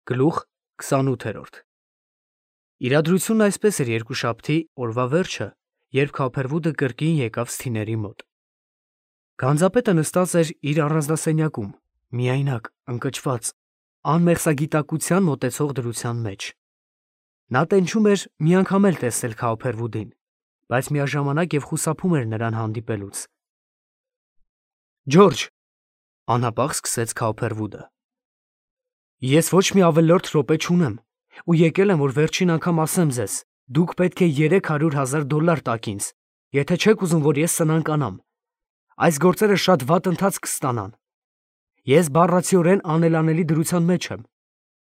Գլուխ 28 Իրադրությունն այսպես էր երկուշաբթի օրվա վերջը, երբ Քափերվուդը կրկին եկավ Սթիների մոտ։ Գանձապետը նստած էր իր առանձնասենյակում, միայնակ, ընկճված, անմեղսագիտակցության մոտեցող դրության մեջ։ Նա տենչում էր մի անգամ էլ տեսնել Քափերվուդին, բայց միաժամանակ և խուսափում էր նրան հանդիպելուց։ Ջորջ, անհապաղ սկսեց Քափերվուդը, ես ոչ մի ավելորդ րոպե չունեմ ու եկել եմ, որ վերջին անգամ ասեմ ձեզ, դուք պետք է $300,000 տաք ինձ, եթե չեք ուզում, որ ես սնանկանամ։ Այս գործերը շատ վատ ընթացք կստանան։ Ես բառացիորեն անելանելի դրության մեջ եմ,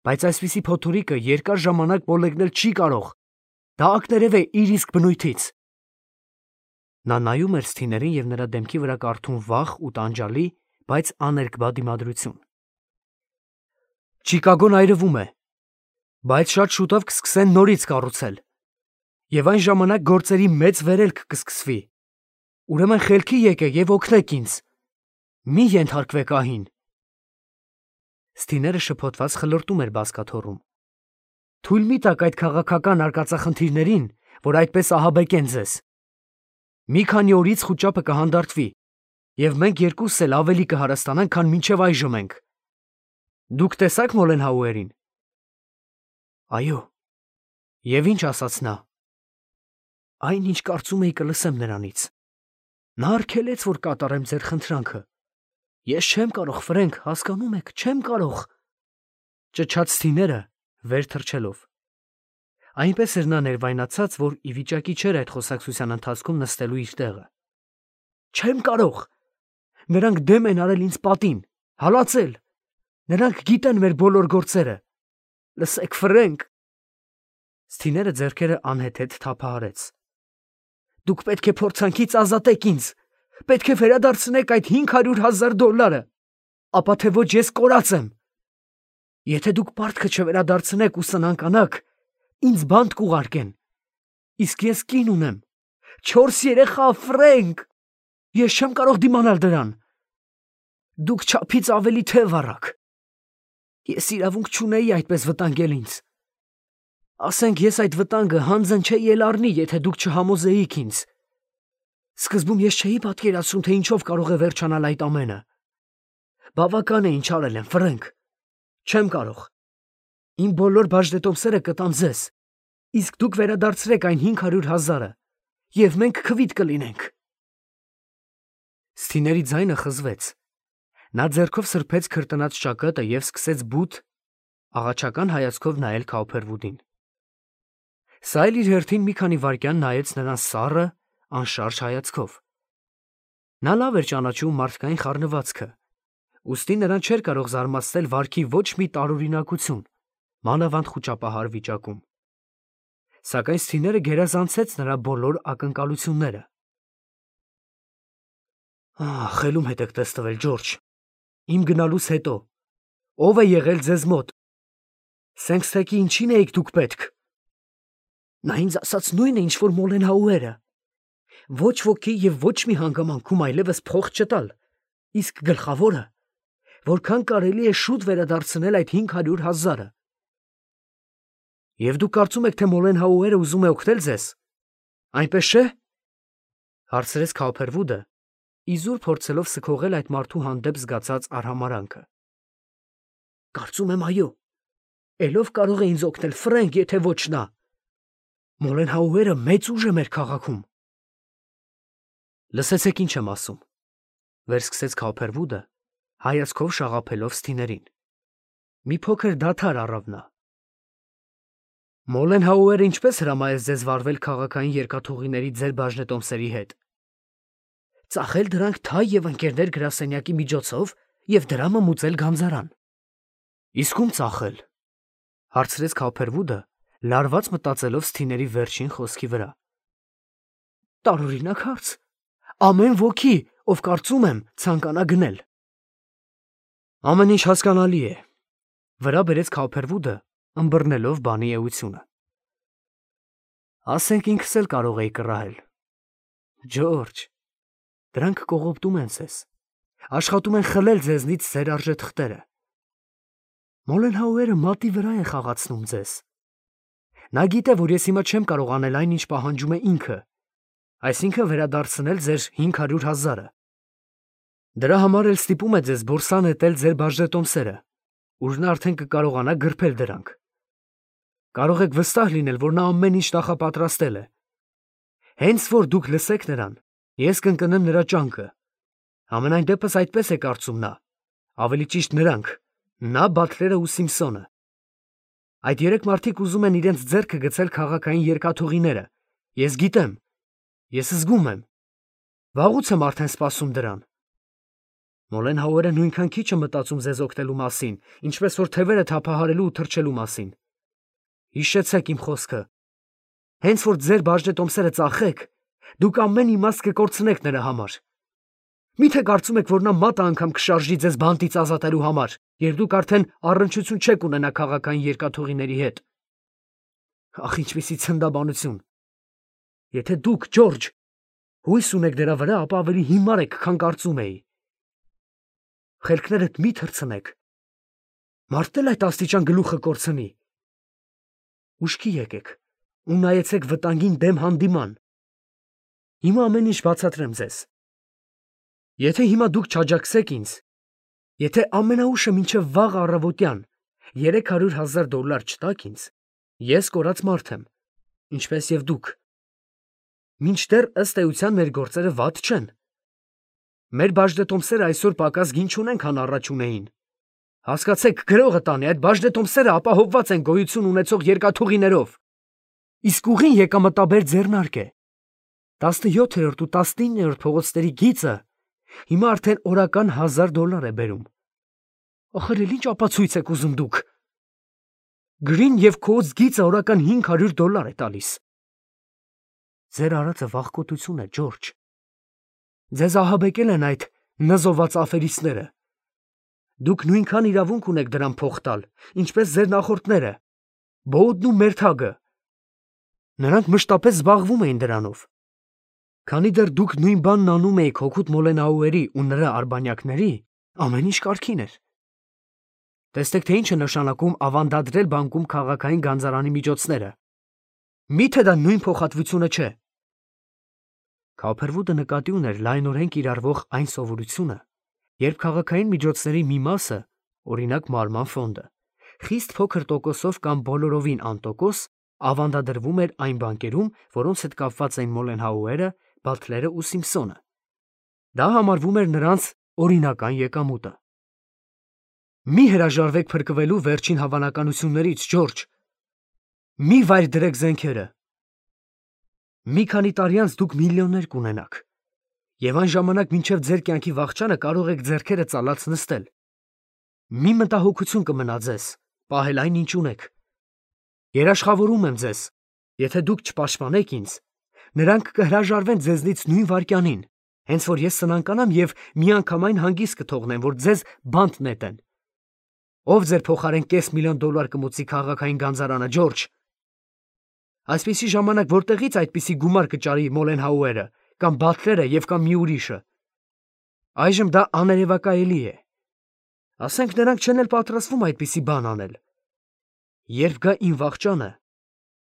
բայց այսպիսի փոթորիկը երկար ժամանակ մոլեգնել չի կարող։ Դա ակներև է իր իսկ բնույթից։ Նա նայում էր Սթիներին և նրա դեմքի վրա կարդում վախ ու տանջալի, բայց աներկբա դիմադրություն։ Չիկագոն այրվում է, բայց շատ շուտով կսկսեն նորից կառուցել, և այն ժամանակ գործերի մեծ վերելք կսկսվի։ Ուրեմն խելքի եկեք և օգնեք ինձ։ Մի ենթարկվեք ահին։ Սթիները շփոթված խլրտում էր բազկաթոռում։ Թույլ մի տաք այդ քաղաքական արկածախնդիրներին, որ այդպես ահաբեկեն ձեզ։ Մի քանի օրից խուճապը կհանդարտվի, և մենք երկուսս էլ ավելի կհարստանանք, քան մինչև այժմ ենք։ Դուք տեսա՞ք Մոլենհաուերին։ Այո։ Եվ ինչ ասաց նա։ Այն, ինչ կարծում էի կլսեմ նրանից։ Նա արգելեց, որ կատարեմ ձեր խնդրանքը։ Ես չեմ կարող, Ֆրենկ, հասկանում եք, չեմ կարող, ճչաց Սթիները, վեր թռչելով։ Այնպես էր նա ներվայնացած, որ ի վիճակի չէր այդ խոսակցության ընթացքում նստելու իր տեղը։ Չեմ կարող։ Նրանք դեմ են արել ինձ պատին, հալածել։ Նրանք գիտեն մեր բոլոր գործերը։ Լսեք, Ֆրենկ։ Սթիները ձեռքերը անհեթեթ թափահարեց։ Դուք պետք է փորձանքից ազատեք ինձ։ Պետք է վերադարձնեք այդ $500,000, ապա թե ոչ ես կորած եմ։ Եթե դուք պարտքը չվերադարձնեք ու սնանկանաք, ինձ բանտ կուղարկեն։ Իսկ ես կին ունեմ, 4 երեխա, Ֆրենկ։ Ես չեմ կարող դիմանալ դրան։ Դուք չափից ավելի թև առաք։ Ես իրավունք չունեի այդպես վտանգել ինձ։ Ասենք ես այդ վտանգը հանձն չէի էլ առնի, եթե դուք չհամոզեիք ինձ։ Սկզբում ես չէի պատկերացնում, թե ինչով կարող է վերջանալ այդ ամենը։ Բավական է, ինչ արել եմ, Ֆրենկ։ Չեմ կարող։ Իմ բոլոր բաժնետոմսերը կտամ ձեզ, իսկ դուք վերադարձրեք այն $500,000, և մենք քվիթ կլինենք։ Սթիների ձայնը խզվեց։ Նա ձեռքով սրբեց քրտնած ճակատը և սկսեց բութ, աղաչական հայացքով նայել Քափերվուդին։ Սա էլ իր հերթին մի քանի վայրկյան նայեց նրան սառը, անշարժ հայացքով։ Նա լավ էր ճանաչում մարդկային խառնվածքը, ուստի նրան չէր կարող զարմացնել վարքի ոչ մի տարօրինակություն, մանավանդ խուճապահար վիճակում։ Սակայն Սթիները գերազանցեց նրա բոլոր ակնկալությունները։ Խելում հետ եք տեստվել, Ջորջ։ Իմ գնալուց հետո ո՞վ է եղել ձեզ մոտ։ Սենքսթեքի ինչի՞ն էիք դուք պետք։ Նա ինձ ասաց նույնը, ինչ որ Մոլենհաուերը։ Ոչ ոքի և ոչ մի հանգամանքում այլևս փող չտալ, իսկ գլխավորը, որքան կարելի է շուտ վերադարձնել այդ $500,000։ Եվ դուք կարծում եք, թե Մոլենհաուերը ուզում է օգնել ձեզ, այնպես չէ՞, հարցրեց Քափերվուդը, իզուր փորձելով սքողել այդ մարդու հանդեպ զգացած արհամարհանքը։ Կարծում եմ, այո։ Էլով կարող է ինձ օգնել, Ֆրենկ, եթե ոչ նա։ Մոլենհաուերը մեծ ուժ է մեր քաղաքում։ Լսեցեք, ինչ եմ ասում, վերսկսեց Քափերվուդը, հայացքով շաղափելով Սթիներին։ Մի փոքր դադար առավ նա։ Մոլենհաուերը ինչպես հրամայեց ձեզ վարվել քաղաքային երկաթուղիների ձեր բաժնետոմսերի հետ։ Ծախել դրանք թայ և ընկերներ գրասենյակի միջոցով և դրամը մուծել գանձարան։ Իսկ ում ծախել, հարցրեց Քափերվուդը, լարված մտածելով Սթիների վերջին խոսքի վրա։ Տարօրինակ հարց։ Ամեն ոքի, ով կարծում եմ, ցանկանա գնել։ Ամեն ինչ հասկանալի է, վրա բերեց Քափերվուդը, ըմբռնելով բանի էությունը։ Ասենք ինքս էլ կարող էի կռահել։ Ջորջ, դրանք կողոպտում են ձեզ, աշխատում են խլել ձեզնից ձեր արժեթղթերը։ Մոլենհաուերը մատի վրա է խաղացնում ձեզ։ Նա գիտե, որ ես հիմա չեմ կարող անել այն, ինչ պահանջում է ինքը, այսինքն վերադարձնել ձեր 500,000-ը։ Դրա համար էլ ստիպում է ձեզ բորսա նետել ձեր բաժնետոմսերը, ուր նա արդեն կկարողանա գրփել դրանք։ Կարող եք վստահ լինել, որ նա ամեն ինչ նախապատրաստել է։ Հենց որ դուք լսեք նրան, ես կընկնեմ նրա ճանկը։ Համենայն դեպս այդպես է կարծում նա, ավելի ճիշտ նրանք, նա, Բաթլերը ու Սիմփսոնը։ Այդ երեք մարդիկ ուզում են իրենց ձեռքը գցել քաղաքային երկաթուղիները։ Ես գիտեմ, ես զգում եմ։ Վաղուց եմ արդեն սպասում դրան։ Մոլենհաուերը նույնքան քիչ է մտածում ձեզ օգնելու մասին, ինչպես որ թևերը թափահարելու ու թրջելու մասին։ Հիշեցեք իմ խոսքը։ Հենց որ ձեր բաժնետոմսերը ծախեք, դուք ամեն իմաստ կկորցնեք նրա համար։ Միթե կարծում եք, որ նա մատը անգամ կշարժի ձեզ բանտից ազատելու համար, երբ դուք արդեն առնչություն չեք ունենա քաղաքային երկաթուղիների հետ։ Ախ, ինչպիսի ցնդաբանություն։ Եթե դուք, Ջորջ, հույս ունեք դրա վրա, ապա ավելի հիմար եք, քան կարծում էի։ Խելքներդ մի թռցնեք։ Մարդն էլ այդ աստիճան գլուխը կորցնի։ Ուշքի եկեք ու նայեցեք վտանգին դեմ հանդիման։ Հիմա ամեն ինչ բացատրեմ ձեզ։ Եթե հիմա դուք չաջակցեք ինձ, եթե ամենաուշը մինչև վաղ առավոտյան $300,000 չտաք ինձ, ես կորած մարդ եմ, ինչպես և դուք։ Մինչդեռ ըստ էության մեր գործերը վատ չեն։ Մեր բաժնետոմսերը այսօր պակաս գին չունեն, քան առաջ ունեին։ Հասկացեք, գրողը տանի, այդ բաժնետոմսերը ապահովված են գոյություն ունեցող երկաթուղիներով։ Իսկ ուղին եկամտաբեր ձեռնարկ է։ 17-րդ ու 19-րդ փողոցների գիծը հիմա արդեն օրական $1,000 է բերում։ Ախր ինչ ապացույց եք ուզում դուք։ Գրին և Քոուց գիծը օրական $500 է տալիս։ Ձեր արածը վախկոտություն է, Ջորջ։ Ձեզ ահաբեկել են այդ նզոված աֆերիստները։ Դուք նույնքան իրավունք ունեք դրան փող տալ, ինչպես ձեր նախորդները, Բոուդն ու Մերթագը։ Նրանք մշտապես զբաղվում էին դրանով։ Քանի դեռ դուք նույն բանն անում էիք հօգուտ Մոլենհաուերի ու նրա արբանյակների, ամեն ինչ կարգին էր։ Տեսեք, թե ինչ է նշանակում ավանդադրել բանկում քաղաքային գանձարանի միջոցները։ Միթե դա նույն փոխհատվությունը չէ։ Քոփերվուդը նկատի ուներ լայնորեն կիրառվող այն սովորությունը, երբ քաղաքային միջոցների մի մասը, օրինակ մարման ֆոնդը, խիստ փոքր տոկոսով կամ բոլորովին անտոկոս ավանդադրվում էր այն բանկերում, որոնց հետ կապված էին Մոլենհաուերը, Բաթլերը ու Սիմփսոնը։ Դա համարվում էր նրանց օրինական եկամուտը։ Մի հրաժարվեք փրկվելու վերջին հավանականություններից, Ջորջ։ Մի վայր դրեք զենքերը։ Մի քանի տարի անց դուք միլիոններ կունենաք, և այն ժամանակ մինչև ձեր կյանքի վախճանը կարող եք ձեռքերը ծալած նստել։ Մի մտահոգություն կմնա ձեզ, պահել այն, ինչ ունեք։ Երաշխավորում եմ ձեզ, եթե դուք չպաշտպանեք ինձ, նրանք կհրաժարվեն ձեզնից նույն վայրկյանին, հենց որ ես սնանկանամ և միանգամայն հանգիստ կթողնեմ, որ ձեզ բանտ նետեն։ Ով ձեր փոխարեն $500,000 կմուծի քաղաքային գանձարանը, Ջորջ։ Այսպիսի ժամանակ որտեղից այդպիսի գումար կճարի Մոլենհաուերը, կամ Բաթլերը և կամ մի ուրիշը։ Այժմ դա աներևակայելի է։ Ասենք նրանք չեն էլ պատրաստվում այդպիսի բան անել։ Երբ գա իմ վախճանը,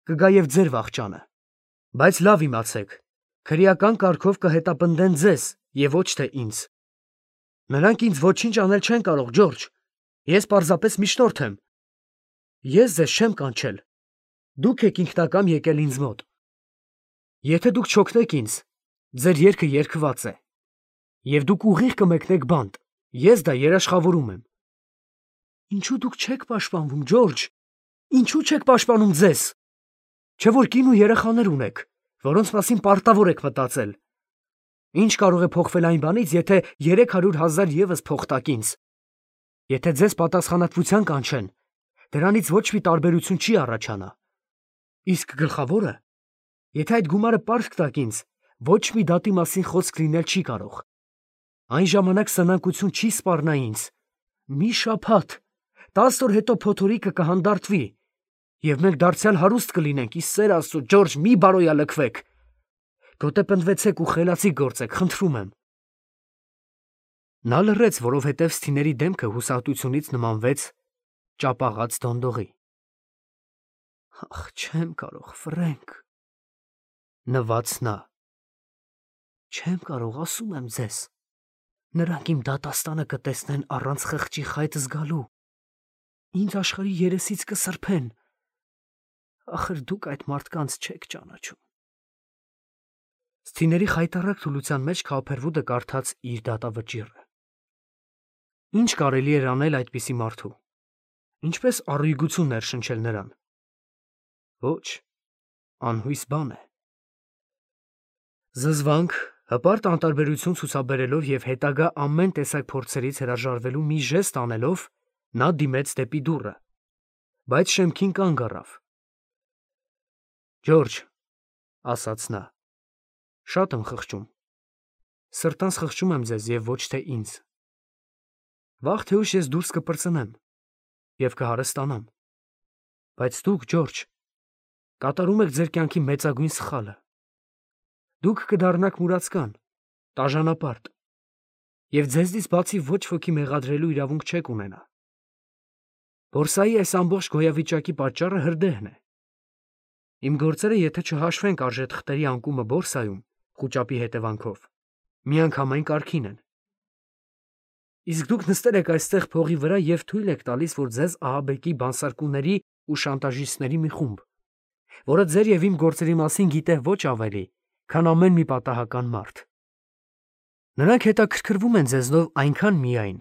կգա և ձեր վախճանը։ Բայց լավ իմացեք, քրեական կարգով կհետապնդեն ձեզ և ոչ թե ինձ։ Նրանք ինձ ոչինչ անել չեն կարող, Ջորջ։ Ես պարզապես միջնորդ եմ։ Ես ձեզ չեմ կանչել։ Դուք եք ինքնակամ եկել ինձ մոտ։ Եթե դուք չօգնեք ինձ, ձեր երգը երգված է։ Եվ դուք ուղիղ կմեկնեք բանտ, ես դա երաշխավորում եմ։ Ինչու դուք չեք պաշտպանվում, Ջորջ։ Ինչու չեք պաշտպանում ձեզ։ Չէ որ կին ու երեխաներ ունեք, որոնց մասին պարտավոր եք մտածել։ Ինչ կարող է փոխվել այն բանից, եթե 300,000 ևս փող տաք ինձ։ Եթե ձեզ պատասխանատվության կանչեն, դրանից ոչ մի տարբերություն չի առաջանա։ Իսկ գլխավորը, եթե այդ գումարը պարտք տաք ինձ, ոչ մի դատի մասին խոսք լինել չի կարող։ Այն ժամանակ սնանկություն չի սպառնա ինձ։ Մի շաբաթ, 10 օր հետո փոթորիկը կհանդարտվի, և մենք դարձյալ հարուստ կլինենք, ի սեր Աստծո, Ջորջ, մի բարոյալքվեք։ Գոտեպնդվեցեք ու խելացի գործեք, խնդրում եմ։ Նա լռեց, որովհետև Սթիների դեմքը հուսահատությունից նմանվեց ճապաղած դոնդողի։ Ախ, չեմ կարող, Ֆրենկ, նվաց նա։ Չեմ կարող, ասում եմ ձեզ։ Նրանք իմ դատաստանը կտեսնեն առանց խղճի խայտ զգալու։ Ինձ աշխարհի երեսից կսրբեն։ Ախր դուք այդ մարդկանց չեք ճանաչում։ Սթիների խայտառակ թուլության մեջ Քոփերվուդը կարդաց իր դատավճիռը։ Ինչ կարելի էր անել այդպիսի մարդու։ Ինչպես առույգություն ներշնչել նրան։ Ոչ, անհույս բան է։ Զզվանք, հպարտ անտարբերություն ցուցաբերելով եւ հետագա ամեն տեսակ փորձերից հրաժարվելու մի ժեստ անելով, նա դիմեց դեպի դուռը, բայց շեմքին կանգ առավ։ Ջորջ, ասաց նա, շատ եմ խղճում։ Սրտանց խղճում եմ ձեզ եւ ոչ թե ինձ։ Վաղ թե ուշ ես դուրս կպրծնեմ եւ կհարստանամ։ Բայց դուք, Ջորջ, կատարում եք ձեր կյանքի մեծագույն սխալը։ Դուք կդառնաք մուրացկան, տաժանապարտ, եւ ձեզնից բացի ոչ ոքի մեղադրելու իրավունք չեք ունենա։ Բորսայի այս ամբողջ գոյավիճակի պատճառը հրդեհն է։ Իմ գործերը, եթե չհաշվենք արժեթղթերի անկումը բորսայում, խուճապի հետևանքով, միանգամայն կարգին են։ Իսկ դուք նստել եք այստեղ փողի վրա եւ թույլ եք տալիս, որ ձեզ ահաբեկի բանսարկուների ու շանտաժիստների մի խումբ, որը ձեր եւ իմ գործերի մասին գիտե ոչ ավելի, քան ամեն մի պատահական մարդ։ Նրանք հետաքրքրվում են ձեզնով այնքան միայն,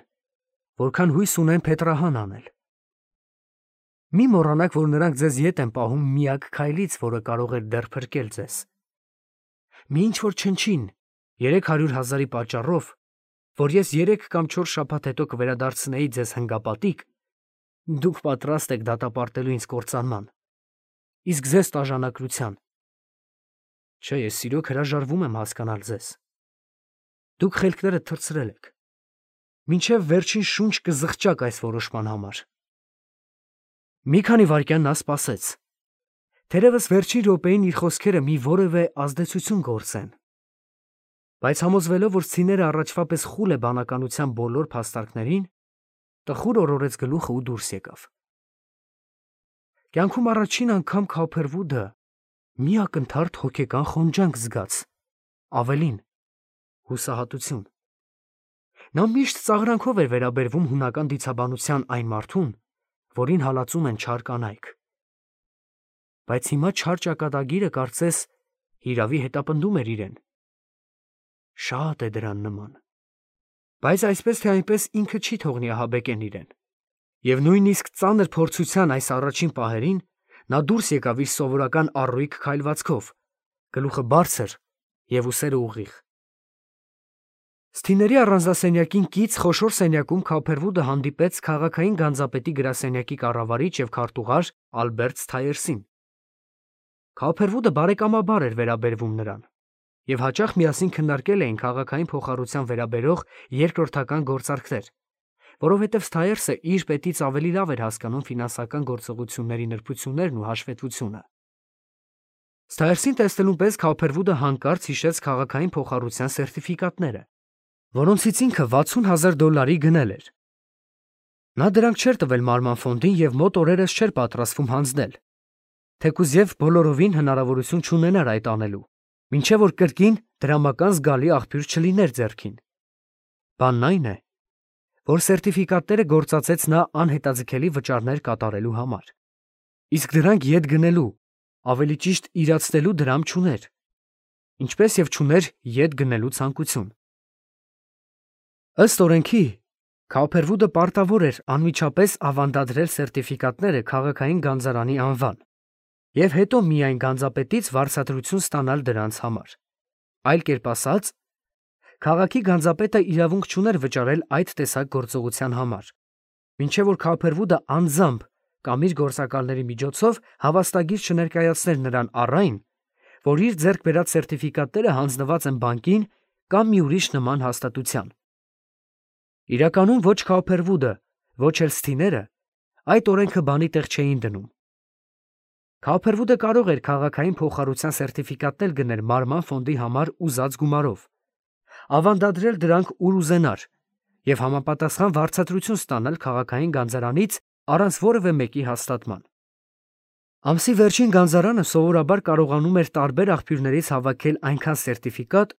որքան հույս ունեն փետրահան անել։ Մի մոռանաք, որ նրանք ձեզ ետ են պահում միակ քայլից, որը կարող է դեռ փրկել ձեզ։ Մի ինչ-որ չնչին 300,000-ի պատճառով, որ ես 3 կամ 4 շաբաթ հետո կվերադարձնեի ձեզ հնգապատիկ, դուք պատրաստ եք դատապարտելու ինձ կործանման, իսկ ձեզ տաժանակրության։ Չէ, ես իրոք հրաժարվում եմ հասկանալ ձեզ։ Դուք խելքներդ թռցրել եք։ Մինչև վերջին շունչ կզղջաք այս որոշման համար։ Մի քանի վայրկյան նա սպասեց։ Թերևս վերջին րոպեին իր խոսքերը մի որևէ ազդեցություն գործեն։ Բայց համոզվելով, որ սցիները առաջվա պես խուլ է բանականության բոլոր փաստարկներին, տխուր օրորեց գլուխը ու դուրս եկավ։ Կյանքում առաջին անգամ Քոփերվուդը մի ակնթարթ հոգեկան խոնջանք զգաց, ավելին, հուսահատություն։ Նա միշտ ծաղրանքով էր վերաբերվում հունական դիցաբանության այն մարդուն, որին հալածում են չար կանայք։ Բայց հիմա չար ճակատագիրը կարծես հիրավի հետապնդում էր իրեն։ Շատ է դրան նման։ Բայց այսպես թե այնպես ինքը չի թողնի ահաբեկեն իրեն։ Եվ նույնիսկ ծանր փորձության այս առաջին պահերին նա դուրս եկավ իր սովորական առույգ քայլվածքով, գլուխը բարձր եւ ուսերը ուղիղ։ Սթիների առանձնասենյակին կից խոշոր սենյակում Քոփերվուդը հանդիպեց քաղաքային գանձապետի գրասենյակի կառավարիչ եւ քարտուղար Ալբերտ Սթայերսին։ Քոփերվուդը բարեկամաբար էր վերաբերվում նրան եւ հաճախ միասին քննարկել էին քաղաքային փոխառության վերաբերող երկրորդական գործարքներ, որովհետև Սթայերսը իր պետից ավելի լավ էր հասկանում ֆինանսական գործողությունների նրբություններն ու հաշվետվությունը։ Սթայերսին տեսնելուն պես Քոփերվուդը հանկարծ հիշեց քաղաքային փոխառության սերտիֆիկատները, որոնցից ինքը $60,000 գնել էր։ Նա դրանք չէր տվել Մարման ֆոնդին եւ մոտ օրերս չէր պատրաստվում հանձնել, թեկուզ եւ բոլորովին հնարավորություն չունենար այդ անելու, մինչեւ որ կրկին դրամական զգալի աղբյուր չլիներ ձեռքին։ Բանն այն է, որ սերտիֆիկատները գործածեց նա անհետաձգելի վճարներ կատարելու համար, իսկ դրանք ետ գնելու, ավելի ճիշտ իրացնելու դրամ չուներ, ինչպես եւ չուներ ետ գնելու ցանկություն։ Ըստ օրենքի, Քոփերվուդը պարտավոր էր անմիջապես ավանդադրել սերտիֆիկատները քաղաքային գանձարանի անվան եւ հետո միայն գանձապետից վարձատրություն ստանալ դրանց համար։ Այլ կերպ ասած, քաղաքի գանձապետը իրավունք չուներ վճարել այդ տեսակ գործողության համար, մինչև որ Քոփերվուդը անձամբ կամ իր գործակալների միջոցով հավաստագիր չներկայացներ նրան առ այն, որ իր ձեռք բերած սերտիֆիկատները հանձնված են բանկին կամ մի ուրիշ նման հաստատության։ Իրականում ոչ Քոփերվուդը, ոչ էլ Սթիները այդ օրենքը բանի տեղ չէին դնում։ Քոփերվուդը կարող էր քաղաքային փոխառության սերտիֆիկատներ գնել Մարման ֆոնդի համար ուզած գումարով, ավանդադրել դրանք ուր ուզենար եւ համապատասխան վարձատրություն ստանալ քաղաքային գանձարանից առանց որևէ մեկի հաստատման։ Ամսի վերջին գանձարանը սովորաբար կարողանում էր տարբեր աղբյուրներից հավաքել այնքան սերտիֆիկատ,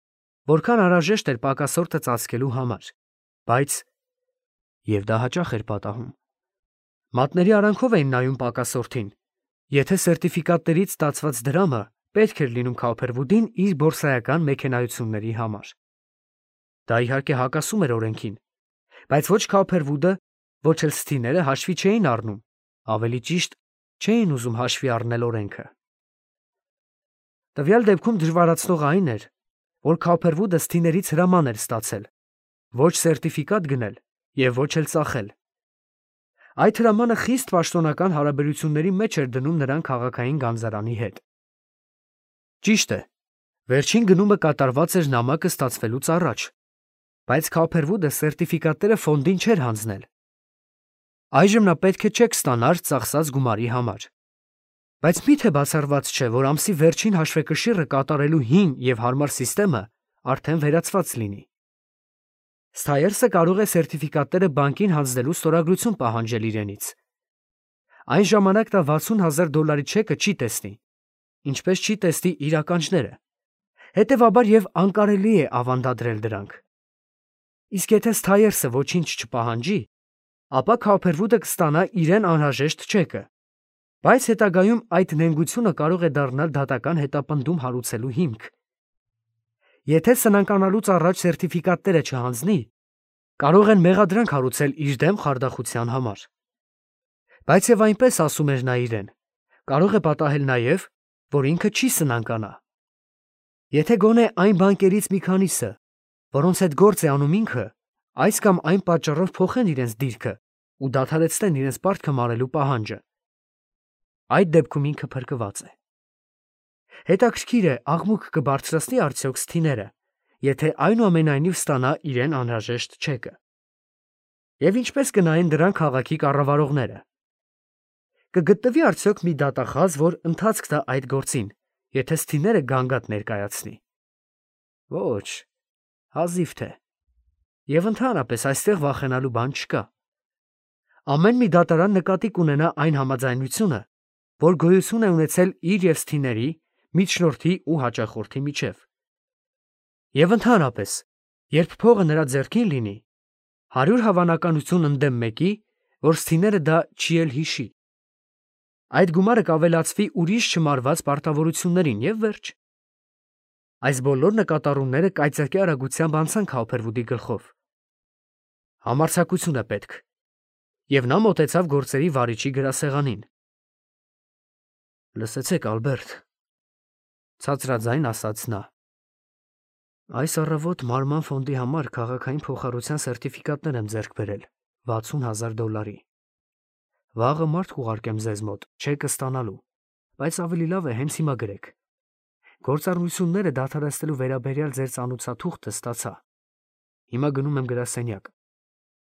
որքան անհրաժեշտ էր պակասորտը ծածկելու համար, բայց և դա հաճախ էր պատահում։ Մատների արանքով էին նայում պակասորտին, եթե սերտիֆիկատներից ստացված դրամը պետք էր լինում Քոփերվուդին իր բորսայական մեքենայությունների համար։ Դա իհարկե հակասում էր օրենքին, բայց ոչ Քոփերվուդը, ոչ էլ Սթիները հաշվի չէին առնում, ավելի ճիշտ, չէին ուզում հաշվի առնել օրենքը։ Տվյալ դեպքում դժվարացնողը այն էր, որ Քոփերվուդը Սթիներից հրաման էր ստացել, ոչ սերտիֆիկատ գնել և ոչ էլ ծախել։ Այդ հրամանը խիստ պաշտոնական հարաբերությունների մեջ էր դնում նրան քաղաքային գանձարանի հետ։ Ճիշտ է, վերջին գնումը կատարված էր նամակը ստացվելուց առաջ, բայց Քոփերվուդը սերտիֆիկատները ֆոնդին չէր հանձնել։ Այժմ նա պետք է չեք ստանար ծախսած գումարի համար։ Բայց մի՞թե բացառված չէ, որ ամսի վերջին հաշվեկշիռը կատարելու հին և հարմար սիստեմը արդեն վերացված լինի։ Սթայերսը կարող է սերտիֆիկատները բանկին հանձնելու ստորագրություն պահանջել իրենից։ Այն ժամանակ նա $60,000 չեկը չի տեսնի, ինչպես չի տեսնի իր ականջները, հետևաբար և անկարելի է ավանդադրել դրանք։ Իսկ եթե Սթայերսը ոչինչ չպահանջի, ապա Քոփերվուդը կստանա իրեն անհրաժեշտ չեկը, բայց հետագայում այդ նենգությունը կարող է դառնալ դատական հետապնդում հարուցելու հիմք։ Եթե սնանկանալուց առաջ սերտիֆիկատները չհանձնի, կարող են մեղադրանք հարուցել իր դեմ խարդախության համար։ Բայց և այնպես ասում էր նա իրեն, կարող է պատահել նաև, որ ինքը չի սնանկանա։ Եթե գոնե այն բանկերից մի քանիսը, որոնց հետ գործ է անում ինքը, այս կամ այն պատճառով փոխեն իրենց դիրքը ու դադարեցնեն իրենց պարտքը մարելու պահանջը, այդ դեպքում ինքը փրկված է։ Հետաքրքիր է, աղմուկ կբարձրացնի արդյոք Սթիները, եթե այնուամենայնիվ ստանա իրեն անհրաժեշտ չեկը։ Եվ ինչպես կնայեն դրան քաղաքի կառավարողները։ Կգտնվի արդյոք մի դատախազ, որ ընթացք տա այդ գործին, եթե Սթիները գանգատ ներկայացնի։ Ոչ, հազիվ թե։ Եվ ընդհանրապես այստեղ վախենալու բան չկա։ Ամեն մի դատարան նկատի կունենա այն համաձայնությունը, որ գոյություն է ունեցել իր և Սթիների, միջնորդի ու հաճախորդի միջև։ Եվ ընդհանրապես, երբ փողը նրա ձեռքին լինի, 100 հավանականություն ընդդեմ մեկի, որ Սթիները դա չի էլ հիշի։ Այդ գումարը կավելացվի ուրիշ չմարված պարտավորություններին և վերջ։ Այս բոլոր նկատառումները կայծակի արագությամբ անցան Քոփերվուդի գլխով։ Համարձակություն է պետք։ Եվ նա մոտեցավ գործերի վարիչի գրասեղանին։ Լսեցեք, Ալբերտ, ցածրաձայն ասաց նա։ Այս առավոտ մարման ֆոնդի համար քաղաքային փոխառության սերտիֆիկատներ եմ ձեռք բերել $60,000։ Վաղը մարդ կուղարկեմ ձեզ մոտ, չեկը ստանալու, բայց ավելի լավ է հենց հիմա գրեք։ Գործառնությունները դադարեցնելու վերաբերյալ ձեր ծանուցաթուղթը ստացա։ Հիմա գնում եմ գրասենյակ։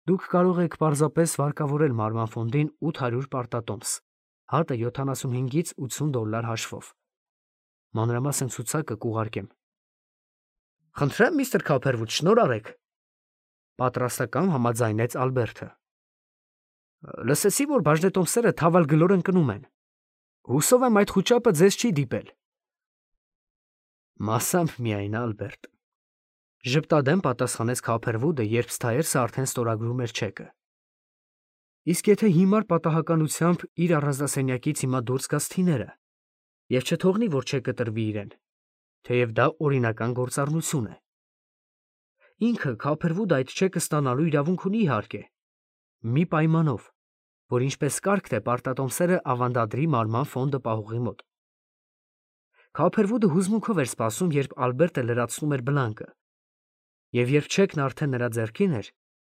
Դուք կարող եք պարզապես վարկավորել մարման ֆոնդին 800 պարտատոմս, հատը $75-ից $80 հաշվով։ Մանրամասն ցուցակը կուղարկեմ։ Խնդրեմ, միստր Քոփերվուդ, շնորհ արեք։ Պատրաստական համաձայնեց Ալբերտը։ Լսեցի, որ բաժնետոմսերը թավալ գլոր ընկնում են։ Հուսով եմ այդ խուճապը ձեզ չի դիպել։ Մասամբ միայն, Ալբերտ։ Ժպտադեմ պատասխանեց Քոփերվուդը, երբ Սթայերսը արդեն ստորագրում էր չեկը։ Իսկ եթե հիմար պատահականությամբ իր առանձնասենյակից հիմա դուրս գա Սթիները և չթողնի, որ չեկը տրվի իրեն, թեև դա օրինական գործառնություն է։ Ինքը Քոփերվուդը այդ չեկը ստանալու իրավունք ունի իհարկե, մի պայմանով, որ ինչպես կարգ թե պարտատոմսերը ավանդադրի մարման ֆոնդը պահողի մոտ։ Քոփերվուդը հուզմունքով էր սպասում, երբ Ալբերտը լրացնում էր բլանկը, և երբ չեկն արդեն նրա ձեռքին էր,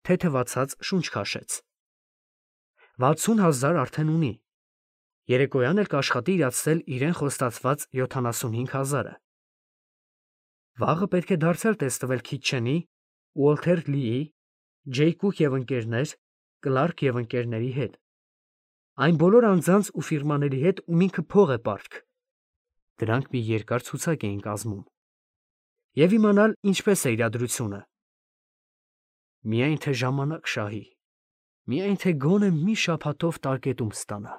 թեթևացած շունչ քաշեց։ 60,000 արդեն ունի։ Երեկոյան էլ կաշխատի իրացնել իրեն խոստացված 75,000-ը։ Վաղը պետք է դարձյալ տեսնվել Քիթչենի, Ուոլթեր Լիի, Ջեյ Կուք և ընկերներ, Կլարկ և ընկերների հետ։ Այն բոլոր անձանց ու ֆիրմաների հետ, ում ինքը փող է պարտք։ Դրանք մի երկար ցուցակ էին կազմում։ Եվ իմանալ ինչպես է իրադրությունը։ Միայն թե ժամանակ շահի։ Միայն թե գոնե մի շաբաթով տարկետում ստանա։